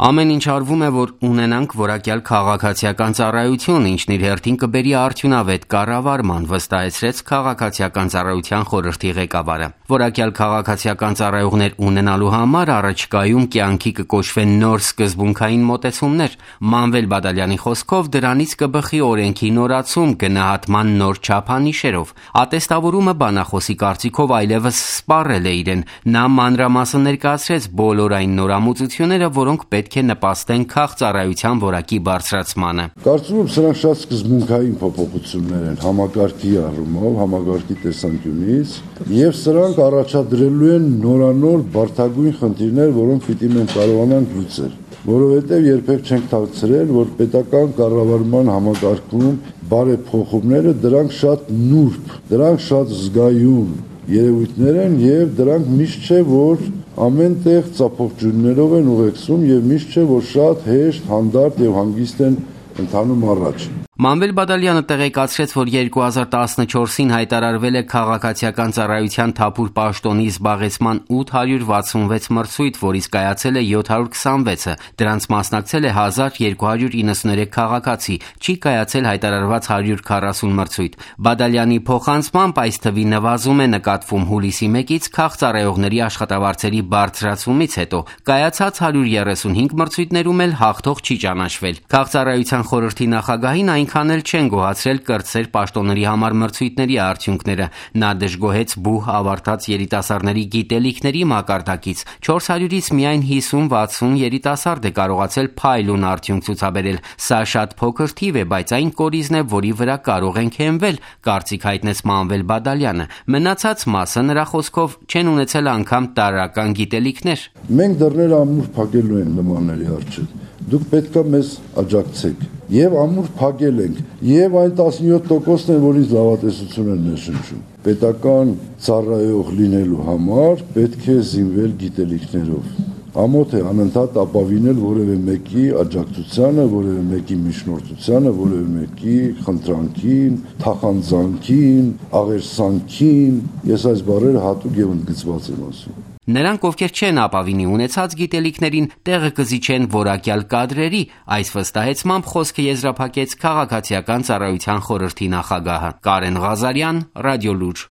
Ամեն ինչ արվում է, որ ունենանք որակյալ քաղաքացիական ծառայություն, ինչն իր հերթին կբերի արդյունավետ կառավարման, վստահեցրեց քաղաքացիական ծառայության խորհրդի ղեկավարը։ Որակյալ քաղաքացիական ծառայողներ ունենալու համար առաջիկայում կյանքի կկոչվեն նոր սկզբունքային մոտեցումներ։ Մանվել Բադալյանի խոսքով դրանից կբխի օրենքի նորացում գնահատման նոր չափանիշերով։ Ատեստավորումը բանախոսի կարծիքով այլևս սպառել է իրեն։ Նա մանրամասն ներկայացրեց բոլոր այն նորամուծությունները, որոնք պետք է նպաստեն քաղծառայության որակի բարձրացմանը։ Կարծում եմ սրանք շատ սկզբունքային փոփոխություններ են համակարգի առումով, համակարգի տեսանկյունից, եւ սրանք առաջադրելու են նորանոր բարդագույն խնդիրներ, որոնք պիտի մենք կարողանանք լուծել, որովհետեւ երբեք չենք թաքցրել, որ պետական կառավարման համակարգում բարեփոխումները դրանք շատ նուրբ, դրանք շատ զգայուն երևույթներ են եւ դրանք միշտ չէ, որ ամեն տեղ ծափողջույններով են ուղեկցում եւ միշտ չէ, որ շատ հեշտ, հանդարտ եւ հանգիստ են ընթանում առաջ։ Մանվել Բադալյանը տեղեկացրեց, որ 2014-ին հայտարարվել է քաղաքացիական ծառայության թափուր պաշտոնի զբաղեցման 866 մրցույթ, որից կայացել է 726-ը, դրանց մասնակցել է 1293 քաղաքացի, չի կայացել հայտարարված 140 մրցույթ։ Բադալյանի փոխանցմամբ այս թվի նվազում է նկատվում հուլիսի 1-ից քաղծառայողների աշխատավարձերի բարձրացումից հետո, կայացած 135 մրցույթներում էլ հաղթող չի ճանաչվել։ Քաղծառայության խորհրդի նախագահին այնքան էլ չեն գոհացրել կրտսեր պաշտոնների համար մրցույթների արդյունքները։ Նա դժգոհեց բուհ ավարտած երիտասարդների գիտելիքների մակարդակից։ 400-ից միայն 50-60 երիտասարդ է կարողացել փայլուն արդյունք ցուցաբերել։ Սա շատ փոքր թիվ է, բայց այն կորիզն է, որի վրա կարող ենք հենվել, կարծիք հայտնեց Մանվել Բադալյանը։ Մնացած մասը նրա խոսքով չեն ունեցել անգամ տարրական գիտելիքներ։ Մենք դռները ամուր փակելու են նմանների առջև։ Դուք պետքա մեզ աջակցեք։ Եվ ամուր փակել ենք, եւ այն 17%-ն են, որից լավատեսություն են ներշնչում։ Պետական ծառայող լինելու համար պետք է զինվել գիտելիքներով։ Ամոթ է անընդհատ ապավինել որևէ մեկի աջակցությանը, որևէ մեկի միջնորդությանը, որևէ մեկի խնդրանքին, թախանձանքին, աղերսանքին։ Ես այս բառերը հատուկ եւ ընդգծված եմ ասում։ Նրանք, ովքեր չեն ապավինի ունեցած գիտելիքներին, տեղը կզիջեն որակյալ կադրերի, այս վստահեցմամբ խոսքը եզրափակեց քաղաքացիական ծառայության խորհրդի նախագահը։ Կարեն Ղազարյան, Ռադիոլուր։